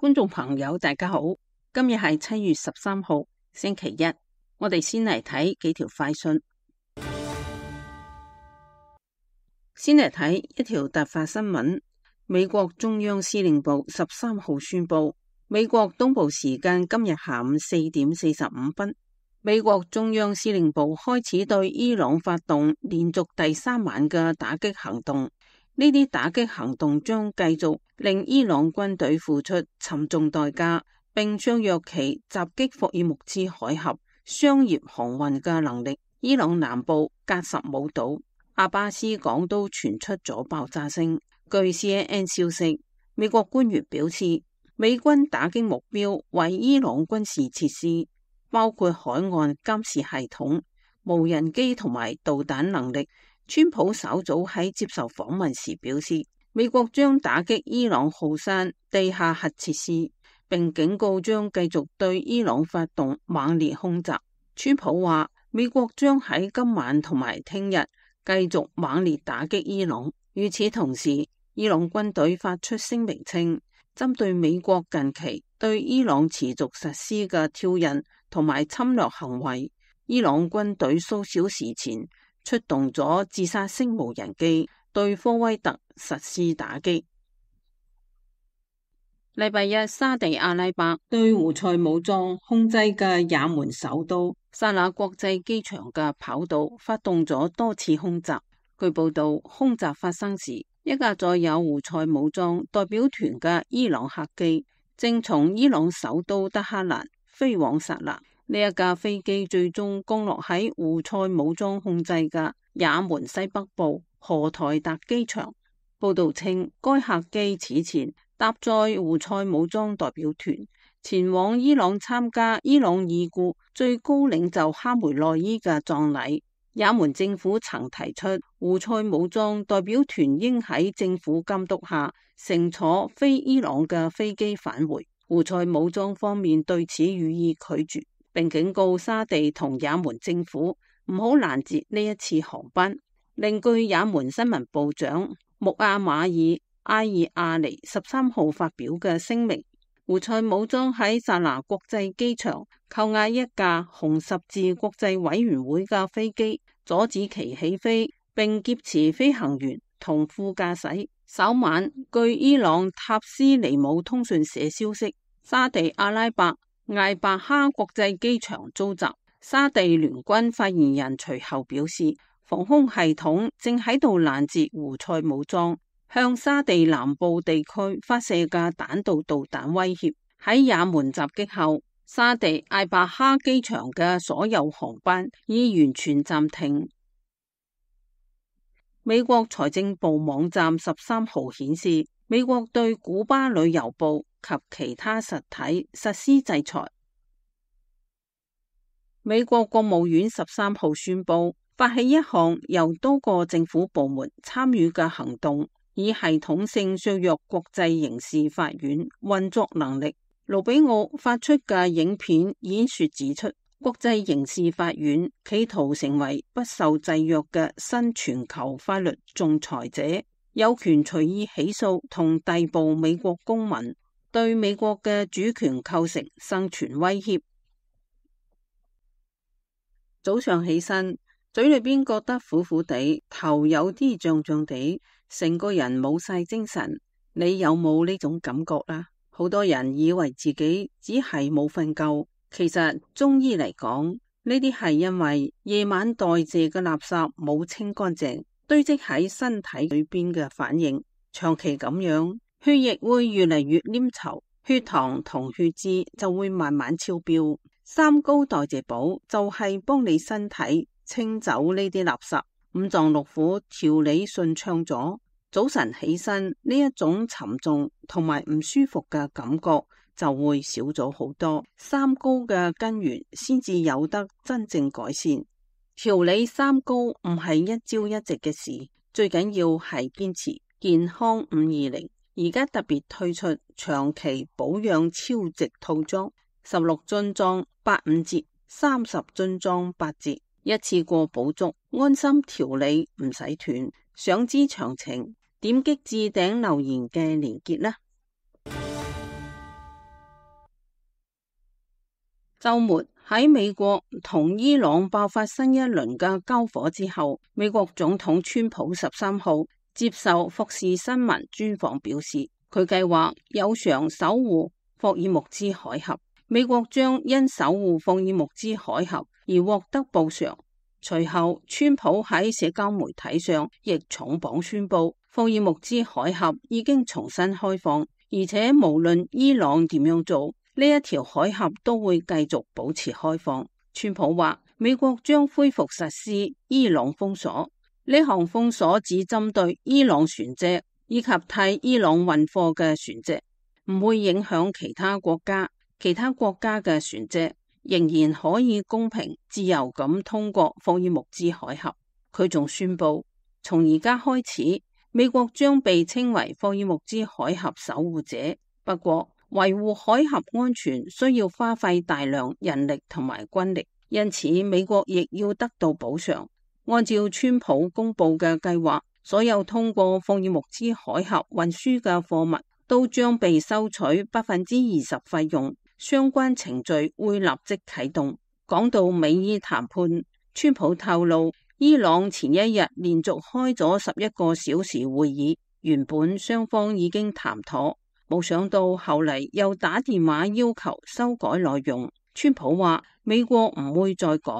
觀眾朋友大家好，今日係7月13號星期一，我哋先嚟睇幾條快訊。先嚟睇一條突發新聞，美國中央司令部13號宣布，美國東部時間今日下午4點45分，美國中央司令部開始對伊朗發動連續第3晚嘅打擊行動。呢啲打擊行動將繼續令伊朗軍隊付出沉重代價，並削弱其襲擊霍爾木茲海峽商業航運嘅能力。伊朗南部格什姆島阿巴斯港都傳出咗爆炸聲。據 CNN 消息，美國官員表示，美軍打擊目標為伊朗軍事設施，包括海岸監視系統、無人機同埋導彈能力。川普稍早喺接受訪問時表示，美國將打擊伊朗浩山地下核設施，並警告將繼續對伊朗發動猛烈空襲。川普話，美國將喺今晚同埋聽日繼續猛烈打擊伊朗。與此同時，伊朗軍隊發出聲明稱，針對美國近期對伊朗持續實施嘅挑釁同埋侵略行為，伊朗軍隊數小時前出動咗自殺式無人機對科威特實施打擊。禮拜一，沙地阿拉伯對胡塞武裝控制嘅也門首都薩那國際機場嘅跑道發動咗多次空襲。據報道，空襲發生時，一架載有胡塞武裝代表團嘅伊朗客機正從伊朗首都德黑蘭飛往薩那。呢一架飛機最終降落喺胡塞武裝控制嘅也門西北部荷台達機場。報道稱，該客機此前搭載胡塞武裝代表團前往伊朗參加伊朗已故最高領袖哈梅內伊嘅葬禮。也門政府曾提出，胡塞武裝代表團應喺政府監督下乘坐飛伊朗嘅飛機返回。胡塞武裝方面對此予以拒絕，並警告沙地同也門政府唔好攔截呢一次航班。另據也門新聞部長穆阿馬爾埃爾阿尼13號發表嘅聲明，胡塞武裝喺薩那國際機場扣押一架紅十字國際委員會嘅飛機，阻止其起飛，並劫持飛行員同副駕駛。稍晚，據伊朗塔斯尼姆通訊社消息，沙地阿拉伯艾伯哈國際機場遭襲。沙地聯軍發言人隨後表示，防空系統正喺度攔截胡塞武裝向沙地南部地區發射嘅彈道導彈威脅。喺也門襲擊後，沙地艾伯哈機場嘅所有航班已完全暫停。美國財政部網站13號顯示，美國對古巴旅遊部及其他實體實施制裁。美國國務院13號宣布，發起一項由多個政府部門參與嘅行動，以系統性削弱國際刑事法院運作能力。盧比奧發出嘅影片演說指出，國際刑事法院企圖成為不受制約嘅新全球法律仲裁者，有權隨意起訴同逮捕美國公民，對美國嘅主權構成生存威脅。早上起身，嘴裏邊覺得苦苦地，頭有啲脹脹地，成個人冇晒精神。你有冇呢種感覺啦？好多人以為自己只係冇瞓夠，其實中醫嚟講，呢啲係因為夜晚代謝嘅垃圾冇清乾淨，堆積喺身體裏邊嘅反應。長期咁樣，血液會越嚟越黏稠，血糖同血脂就會慢慢超標。三高代謝寶就係幫你身體清走呢啲垃圾，五臟六腑調理順暢咗，早晨起身呢一種沉重同埋唔舒服嘅感覺就會少咗好多。三高嘅根源先至有得真正改善。調理三高唔係一朝一夕嘅事，最緊要係堅持。健康520而家特別推出長期保養超值套裝，16樽裝85折，30樽裝8折，一次過補足，安心調理唔使斷。想知詳情，點擊置頂留言嘅連結啦。週末喺美國同伊朗爆發新一輪嘅交火之後，美國總統川普13號接受福斯新聞專訪表示，佢計劃有償守護霍爾木茲海峽，美國將因守護霍爾木茲海峽而獲得報償。隨後，川普喺社交媒體上亦重磅宣布，霍爾木茲海峽已經重新開放，而且無論伊朗點樣做，呢一條海峽都會繼續保持開放。川普話，美國將恢復實施伊朗封鎖，呢項封鎖只針對伊朗船隻以及替伊朗運貨嘅船隻，唔會影響其他國家。其他國家嘅船隻仍然可以公平自由咁通過霍爾木茲海峽。佢仲宣布，從而家開始，美國將被稱為霍爾木茲海峽守護者。不過，維護海峽安全需要花費大量人力同埋軍力，因此美國亦要得到補償。按照川普公布嘅計劃，所有通過霍爾木茲海峽運輸嘅貨物都將被收取20%費用。相關程序會立即啟動。講到美伊談判，川普透露，伊朗前一日連續開咗11個小時會議，原本雙方已經談妥，冇想到後嚟又打電話要求修改內容。川普話美國唔會再改，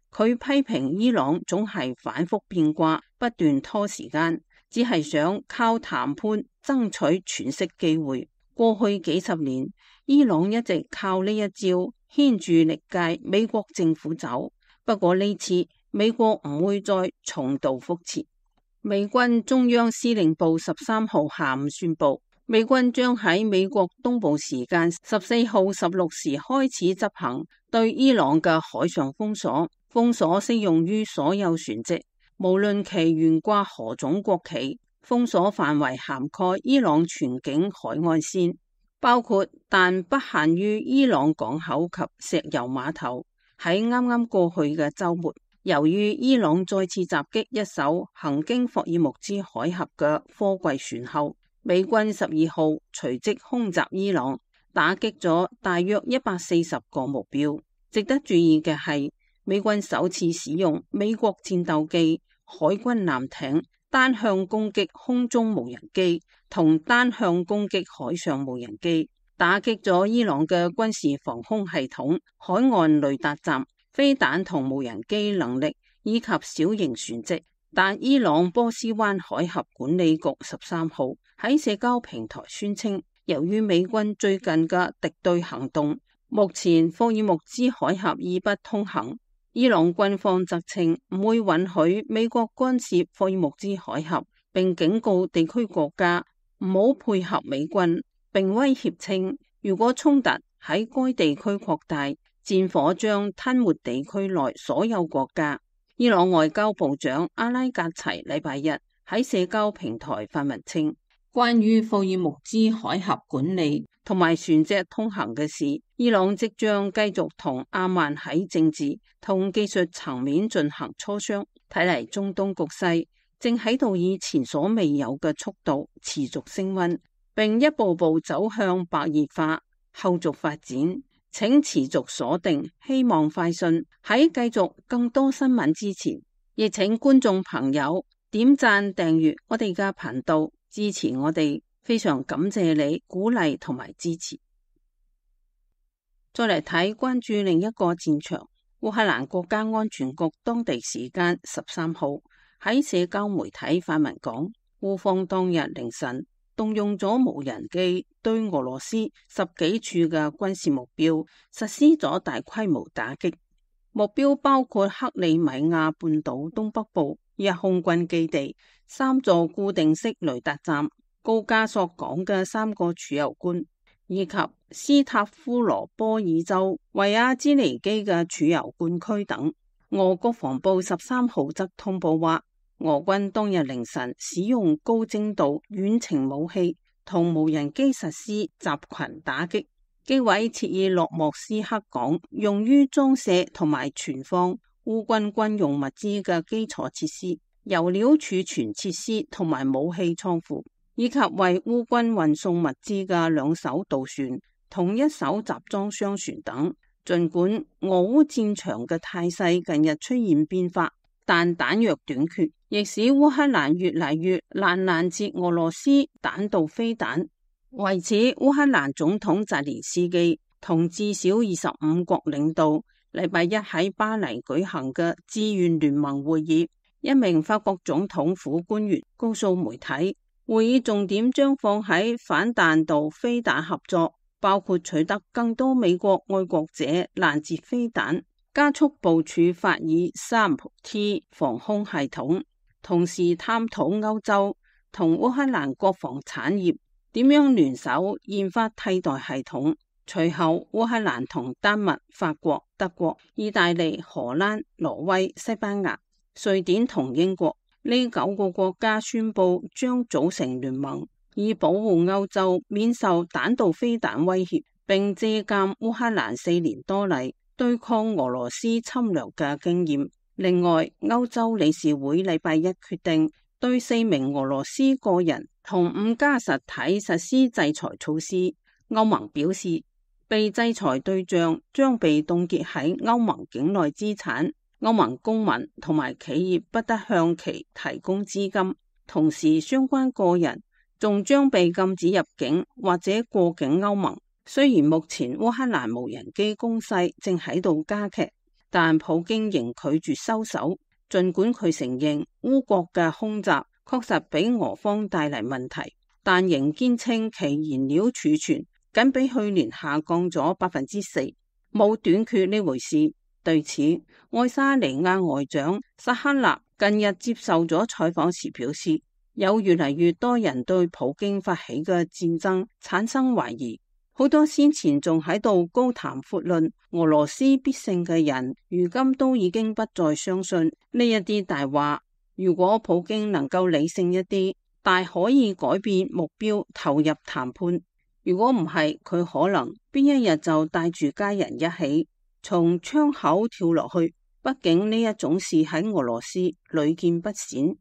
佢批評伊朗總係反覆變卦，不斷拖時間，只係想靠談判爭取喘息機會。過去幾十年，伊朗一直靠呢一招牽住歷屆美國政府走，不過呢次美國唔會再重蹈覆轍。美軍中央司令部13號下午宣布，美軍將喺美國東部時間14號16時開始執行對伊朗嘅海上封鎖，封鎖適用於所有船隻，無論其懸掛何種國旗。封鎖範圍涵蓋伊朗全境海岸線，包括但不限於伊朗港口及石油碼頭。喺啱啱過去嘅週末，由於伊朗再次襲擊一艘行經霍爾木茲海峽嘅貨櫃船後，美軍12號隨即空襲伊朗，打擊咗大約140個目標。值得注意嘅係，美軍首次使用美國戰鬥機、海軍艦艇單向攻擊空中無人機同單向攻擊海上無人機，打擊咗伊朗嘅軍事防空系統、海岸雷達站、飛彈同無人機能力以及小型船隻。但伊朗波斯灣海峽管理局13號喺社交平台宣稱，由於美軍最近嘅敵對行動，目前霍爾木茲海峽已不通行。伊朗軍方則稱唔會允許美國干涉霍爾木茲海峽，並警告地區國家唔好配合美軍，並威脅稱如果衝突喺該地區擴大，戰火將吞沒地區內所有國家。伊朗外交部長阿拉格齊禮拜日喺社交平台發文稱，關於霍爾木茲海峽管理同埋船隻通行嘅事，伊朗即將繼續同阿曼喺政治同技術層面進行磋商。睇嚟中東局勢正喺度以前所未有嘅速度持續升溫，並一步步走向白熱化。後續發展請持續鎖定希望快訊。喺繼續更多新聞之前，亦請觀眾朋友點讚訂閱我哋嘅頻道，支持我哋。非常感謝你鼓勵同埋支持。再嚟睇關注另一個戰場，烏克蘭國家安全局當地時間13號喺社交媒體發文講，烏方當日凌晨動用咗無人機對俄羅斯10幾處嘅軍事目標實施咗大規模打擊，目標包括克里米亞半島東北部一空軍基地、3座固定式雷達站、高加索港嘅3個儲油罐，以及斯塔夫羅波爾州維亞茲尼基嘅儲油罐區等。俄國防部13號則通報話，俄軍當日凌晨使用高精度遠程武器同無人機實施集群打擊，擊毀切爾諾莫斯克港用於裝卸同埋存放烏軍軍用物資嘅基礎設施、油料儲存設施同埋武器倉庫，以及為烏軍運送物資嘅2艘渡船同1艘集裝箱船等。儘管俄烏戰場嘅態勢近日出現變化，但彈藥短缺亦使烏克蘭越嚟越難攔截俄羅斯彈道飛彈。為此，烏克蘭總統澤連斯基同至少25國領導禮拜一喺巴黎舉行嘅志願聯盟會議，一名法國總統府官員告訴媒體，會議重點將放喺反彈道飛彈合作，包括取得更多美國愛國者攔截飛彈，加速部署法爾 3T 防空系統，同時探討歐洲同烏克蘭國防產業點樣聯手研發替代系統。隨後，烏克蘭同丹麥、法國、德國、意大利、荷蘭、挪威、西班牙、瑞典同英國呢9個國家宣布將組成聯盟，以保護歐洲免受彈道飛彈威脅，並借鑒烏克蘭4年多嚟對抗俄羅斯侵略嘅經驗。另外，歐洲理事會禮拜一決定對4名俄羅斯個人同5家實體實施制裁措施。歐盟表示，被制裁對象將被凍結喺歐盟境內資產，歐盟公民同埋企業不得向其提供資金，同時相關個人仲將被禁止入境或者過境歐盟。雖然目前烏克蘭無人機攻勢正喺度加劇，但普京仍拒絕收手，儘管佢承認烏國嘅空襲確實俾俄方帶嚟問題，但仍堅稱其燃料儲存僅比去年下降咗4%，冇短缺呢回事。對此，愛沙尼亞外長薩克納近日接受咗採訪時表示，有越嚟越多人對普京發起嘅戰爭產生懷疑，好多先前仲喺度高談闊論俄羅斯必勝嘅人，如今都已經不再相信呢一啲大話。如果普京能夠理性一啲，大可以改變目標，投入談判。如果唔係，佢可能邊一日就帶住家人一起從窗口跳落去。畢竟呢一種事喺俄羅斯屢見不鮮。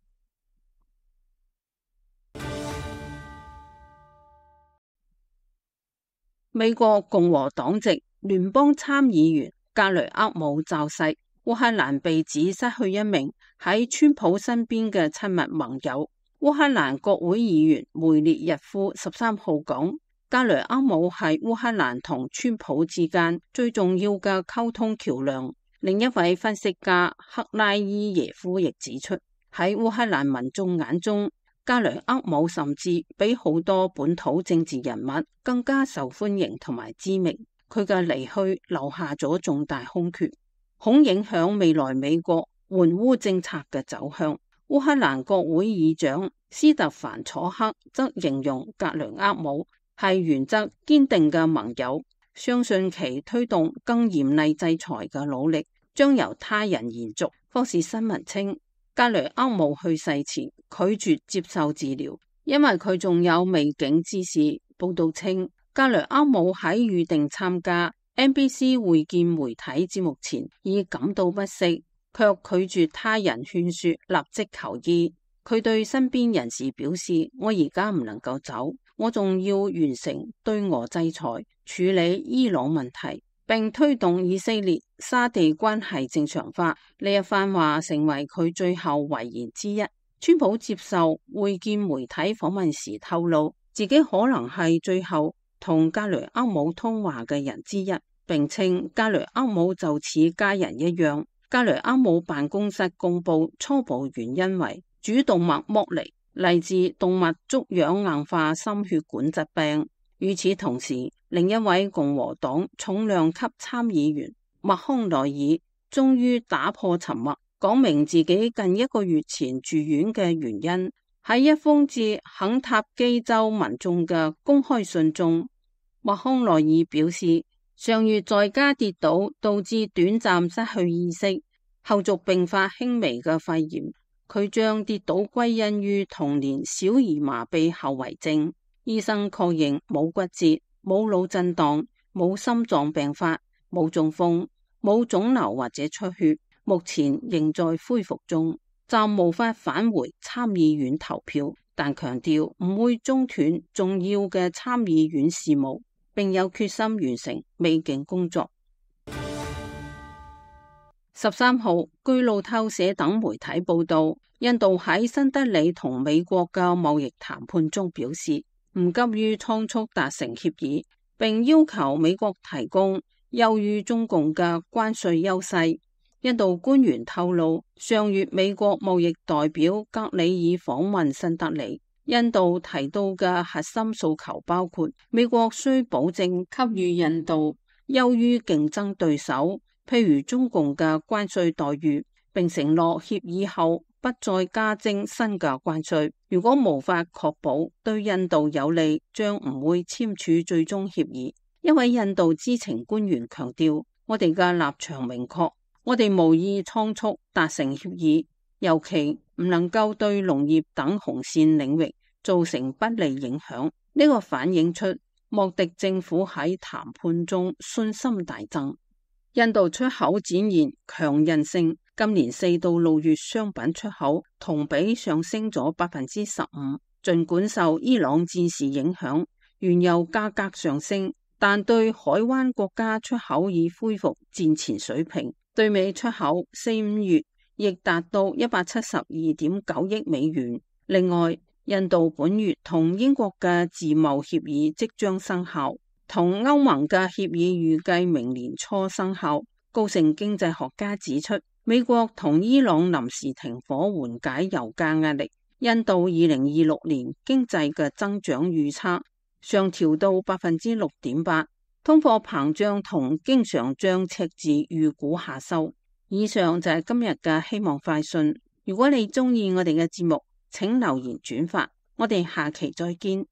美國共和黨籍聯邦參議員格雷厄姆驟逝，烏克蘭被指失去一名喺川普身邊嘅親密盟友。烏克蘭國會議員梅列日夫13號講，格雷厄姆係烏克蘭同川普之間最重要嘅溝通橋樑。另一位分析家克拉伊耶夫亦指出，喺烏克蘭民眾眼中，格雷厄姆甚至比好多本土政治人物更加受歡迎同埋知名。佢嘅離去留下咗重大空缺，恐影響未來美國援烏政策嘅走向。烏克蘭國會議長斯特凡楚克則形容格雷厄姆係原則堅定嘅盟友，相信其推動更嚴厲制裁嘅努力將由他人延續。福士新聞稱，格雷厄姆去世前拒絕接受治療，因為佢仲有未竟之事。報道稱，格雷厄姆喺預定參加 NBC 會見媒體節目前已感到不適，卻拒絕他人勸說立即求醫。佢對身邊人士表示，我而家唔能夠走，我仲要完成對俄制裁，處理伊朗問題，並推動以色列沙地關係正常化。呢一番話成為佢最後遺言之一。川普接受會見媒體訪問時透露，自己可能係最後同格雷厄姆通話嘅人之一，並稱格雷厄姆就似家人一樣。格雷厄姆辦公室公布初步原因為主動脈剝離，嚟自動脈粥樣硬化心血管疾病。與此同時，另一位共和黨重量級參議員麥康奈爾終於打破沉默，講明自己近1個月前住院嘅原因。喺一封致肯塔基州民眾嘅公開信中，麥康奈爾表示，上月在家跌倒，導致短暫失去意識，後續併發輕微嘅肺炎。佢將跌倒歸因於童年小兒麻痹後遺症。醫生確認冇骨折、冇腦震盪、冇心臟病發、冇中風、冇腫瘤或者出血，目前仍在恢復中，暫無法返回參議院投票，但強調唔會中斷重要嘅參議院事務，並有決心完成未竟工作。13號，據路透社等媒體報道，印度喺新德里同美國嘅貿易談判中表示，唔急於倉促達成協議，並要求美國提供優於中共嘅關稅優勢。印度官員透露，上月美國貿易代表格里爾訪問新德里，印度提到嘅核心訴求包括美國需保證給予印度優於競爭對手，譬如中共嘅關稅待遇，並承諾協議後不再加徵新嘅關稅。如果無法確保對印度有利，將唔會簽署最終協議。一位印度知情官員強調，我哋嘅立場明確，我哋無意倉促達成協議，尤其唔能夠對農業等紅線領域造成不利影響。呢個反映出莫迪政府喺談判中信心大增。印度出口展現強韌性，今年4到6月商品出口同比上升咗15%。盡管受伊朗戰事影響，原油價格上升，但對海灣國家出口已恢復戰前水平。對美出口4、5月亦達到172.9億美元。另外，印度本月同英國嘅自貿協議即將生效，同歐盟嘅協議預計明年初生效。高盛經濟學家指出，美國同伊朗臨時停火緩解油價壓力。印度2026年經濟嘅增長預測上調到6.8%。通貨膨脹同經常賬赤字預估下收。以上就係今日嘅希望快訊。如果你鍾意我哋嘅節目，請留言轉發。我哋下期再見。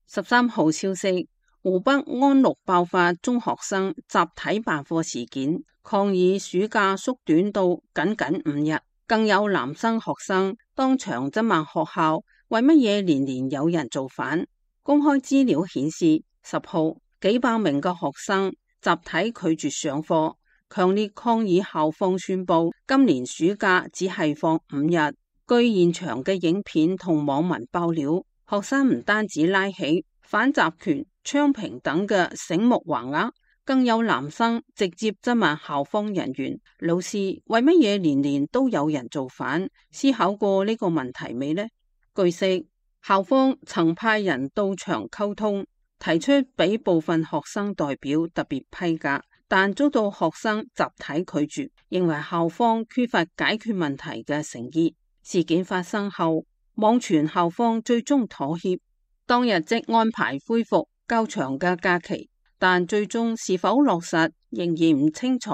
13號消息，湖北安陸爆發中學生集體罷課事件，抗議暑假縮短到僅5日。更有男生學生當場質問學校，為乜嘢年年有人造反？公開資料顯示，10號幾百名嘅學生集體拒絕上課，強烈抗議校方宣布今年暑假只係放5日。據現場嘅影片同網民爆料，學生唔單止拉起反集權、昌平等嘅醒目橫額，更有男生直接質問校方人員：老師，為乜嘢年年都有人造反？思考過呢個問題未呢？據悉，校方曾派人到場溝通，提出俾部分學生代表特別批假，但遭到學生集體拒絕，認為校方缺乏解決問題嘅誠意。事件發生後，網傳校方最終妥協，當日即安排恢復較長嘅假期。但最終是否落實仍然唔清楚。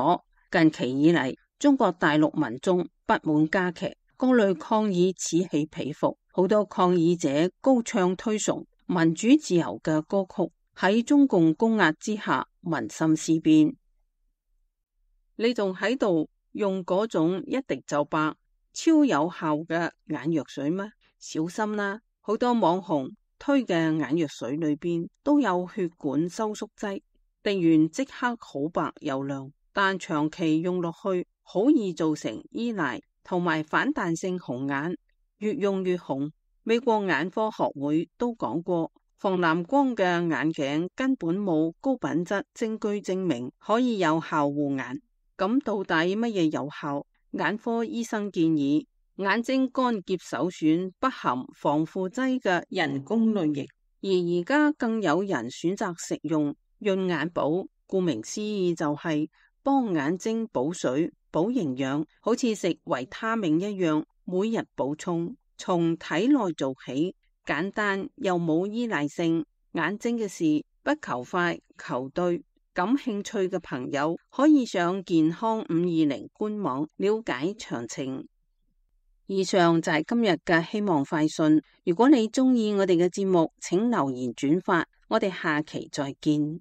近期以嚟，中國大陸民眾不滿加劇，各類抗議此起彼伏，好多抗議者高唱推崇民主自由嘅歌曲，喺中共攻壓之下，民心思變。你仲喺度用嗰種一滴就白、超有效嘅眼藥水咩？小心啦，好多網紅推嘅眼藥水裏邊都有血管收縮劑，滴完即刻好白又亮，但長期用落去好易造成依賴同埋反彈性紅眼，越用越紅。美國眼科學會都講過，防藍光嘅眼鏡根本冇高品質證據證明可以有效護眼。咁到底乜嘢有效？眼科醫生建議眼睛乾澀首選不含防腐劑嘅人工淚液，而而家更有人選擇食用潤眼寶，顧名思義就係幫眼睛補水補營養，好似食維他命一樣，每日補充，從體內做起，簡單又冇依賴性。眼睛嘅事不求快求對，感興趣嘅朋友可以上健康520官網了解詳情。以上就係今日嘅希望快訊。如果你鍾意我哋嘅節目，請留言轉發。我哋下期再見。